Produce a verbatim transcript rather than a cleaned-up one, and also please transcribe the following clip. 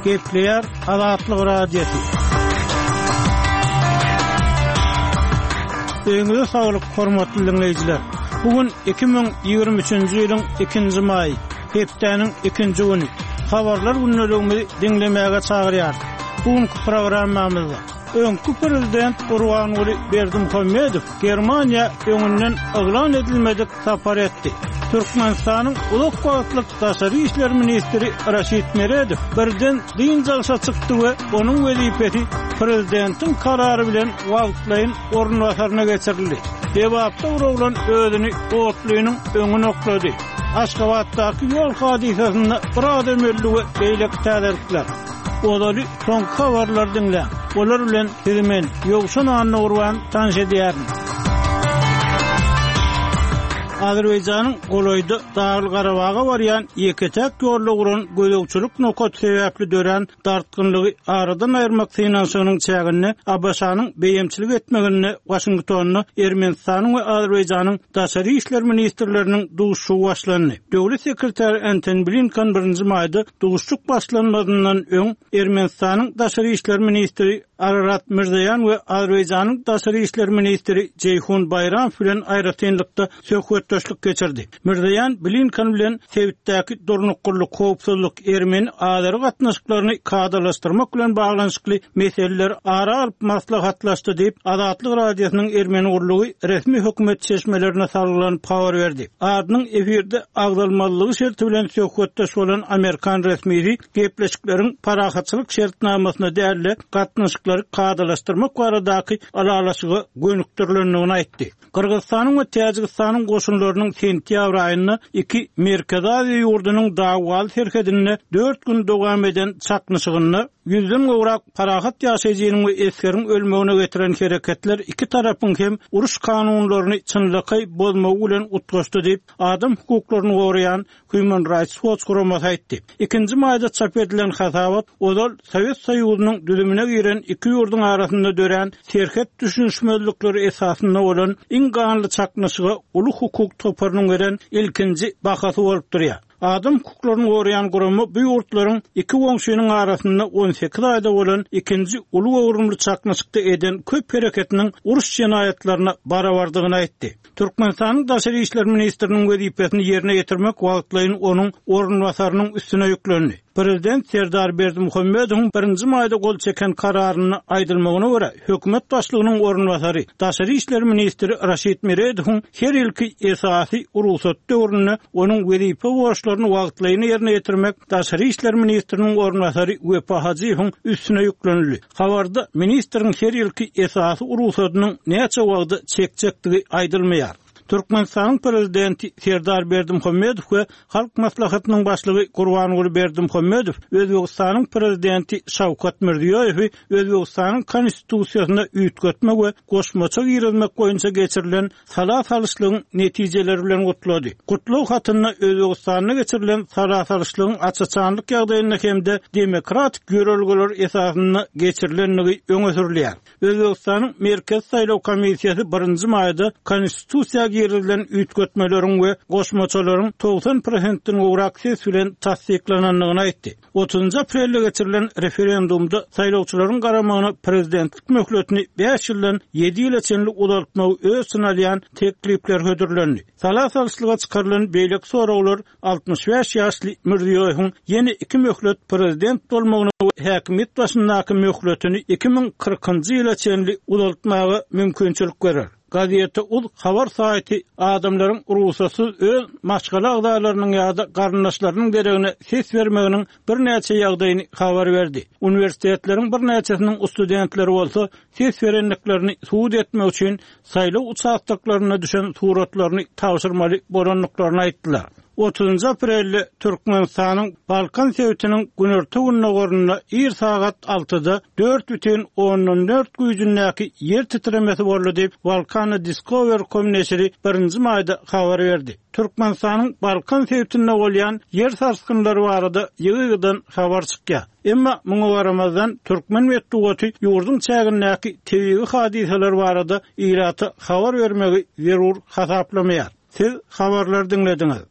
Gepleýär Azatlyk Radiosy. Öýüňize saglyk, hormatly diňleýjiler. Bu gün iki müň ýigrimi üçünji ýylyň ikinji maýy, hepdäniň ikinji güni. Habarlar gündeligimizi diňlemäge çagyrýarys. Bu günki programmamyzda öňki prezident Gurbanguly Berdimuhamedow Germaniýa öňünden yglan edilmedik sapar etdi. Türkmenistanyň uzak wagtlyk daşary işler ministri Raşid Meredow birden dynç alşa çykdy we onuň wezipesi prezidentiň karary bilen wagtlaýyn orunbasaryna geçirildi. Lebapda bir oglan özüni otlynyň öňüne oklady. Aşgabatdaky ýol hadysasynda bir adam öldi we beýleki täzelikler. Ozaly soňky habarlary diňläň. Olar bilen sizi men, Ýowşan Annagurban tanyş edýärin. Azerbaýjanyň golaýda Dagly-Garabaga barýan ýeke-täk ýolda guran gözegçilik nokaty sebäpli dörän dartgynlygy aradan aýyrmak synanyşygynyň çäginde A B Ş-nyň beýemçilik etmeginde Waşingtonda Ermenistanyň we Azerbaýjanyň daşary işler ministrleriniň duşuşygy başlandy. Döwlet sekretary Antony Blinken birinji maýda duşuşyk başlanmazyndan öň Ermenistanyň daşary işler ministri Ararat Mirzoýan we Azerbaýjanyň daşary işler ministri Jeýhun Baýramow bilen aýratynlykda söhbetdeşlik geçirdi. Mirzoýan Blinken bilen sebitdäki durnuklylyk, howpsuzlyk, ermeni-azeri gatnaşyklaryny kadalaşdyrmak bilen baglanyşykly meseleler ara alyp maslahatlaşdy diýip, Azatlyk Radiosynyň ermeni gurlugy resmi hökümet çeşmelerine salgylanyp habar berdi. Adynyň efirde agzalmalygy şerti bilen söhbetdeş bolan Amerikan resmisi gepleşikleriň parahatçylyk şertnamasyna däl-de gatnaşyklary kadalaşdyrmak baradaky ylalaşyga gönükdirilendigini aýtdy. Gyrgyzystanyň we Täjigistanyň goşunlarynyň sentýabr aýynda iki Merkezi Aziýa ýurdunyň dawwaly serhedinde dört gün dowam eden çaknyşygynda ýüzden gowrak parahat ýaşaýjynyň we esgeriň ölmegine getiren hereketler iki tarapyň hem uruş kanunlaryny çynlakaý bozmagy bilen utgaşdy diýip, adam hukuklaryny goraýan Human Rights Watch guramasy aýtdy. Ikinji maýda çap edilen hasabat ozal Sowet Soýuzynyň düzümine giren iki ýurduň arasynda dörän serhet düşünişmezlikleri esasynda bolan iň ganly çaknyşyga uly hukuk toparynyň beren ilkinji bahasy bolup durýar. Adam hukuklaryny goraýan gurama bu ýurtlaryň iki goňşynyň arasynda on sekiz aýda bolan ikinji uly göwrümli çaknyşykda eden köp hereketiniň uruş jenaýatlaryna barabardygyny aýtdy. Türkmenistanyň daşary işler ministriniň wezipesini ýerine ýetirmek wagtlaýyn onuň orunbasarynyň üstüne ýüklendi. Prezident Serdar Berdimuhamedowyň birinji maýda gol çeken kararyna aýdylmagyna görä, hökümet başlygynyň orunbasary, daşary işler ministri Raşid Meredowyň her ýylky esasy rugsat döwründe onuň wezipe borçlaryny wagtlaýyn ýerine ýetirmek daşary işler ministriniň orunbasary Wepa Hajyýewiň üstüne ýüklenildi. Habarda ministriň her ýylky esasy rugsadynyň näçe wagtda çekjekdigi aýdylmaýar. Türkmenistanyň prezidenti Serdar Berdimuhamedow we Halk Maslahatynyň başlygy Gurbanguly Berdimuhamedow Özbegistanyň prezidenti Şawkat Mirziýoýewi Özbegistanyň konstitusiýasyna üýtgetme we goşmaça girizmek boýunça geçirilen sala salyşlygyň netijeleri bilen gutlady. Gutlag hatynda Özbegistanda geçirilen sala salyşlygyň açaçanlyk ýagdaýynda hem-de demokratik ýörelgeler esasynda geçirilendigi öňe sürülýär. Özbegistanyň Merkez Saýlaw Komissiýasy birinji maýda konstitusiýa girizilen üýtgetmeleriň we goşmaçalaryň togsan prosentden gowrak ses bilen tassyklanandygyny aýtdy. Otuzynjy aprelde geçirilen referendumda saýlawçylaryň garamagyna prezidentlik möhletini bäş ýyldan ýedi ýyla çenli uzaltmagy öz içine alýan teklipler hödürlendi. Sala salyşlyga çykarylan beýleki soraglar altmyş bäş ýaşly Mirziýoýewiň ýene iki möhlet prezident bolmagyna we häkimiýet başyndaky möhletini iki müň kyrkynjy ýyla çenli uzaltmaga mümkinçilik berer. Gazete Uz habar saýty adamlaryň rugsatsyz öz maşgala agzalarynyň ýa-da garyndaşlarynyň deregine ses bermeginiň birnäçe ýagdaýyny habar berdi. Uniwersitetleriň birnäçesiniň studentleri bolsa ses berendiklerini subut etmek üçin saýlaw uçastoklarynda düşen suratlaryny tabşyrmaly bolandyklaryny aýtdylar. Otuzynjy aprelde Türkmenistanyň Balkan sebitiniň günorta gündogarynda ir sagat altyda dört bütin ondan dört güýjündäki ýer titremesi boldy diýip Balkana Discover com neşiri birinji maýda habar berdi. Türkmenistanyň Balkan sebitinde bolýan ýer sarsgynlary barada ýygy-ýygydan habar çykýar. Emma muňa garamazdan türkmen metbugaty ýurduň çägindäki tebigy hadysalar barada ilata habar bermegi zerur hasaplamaýar. Siz habarlar diňlediňiz.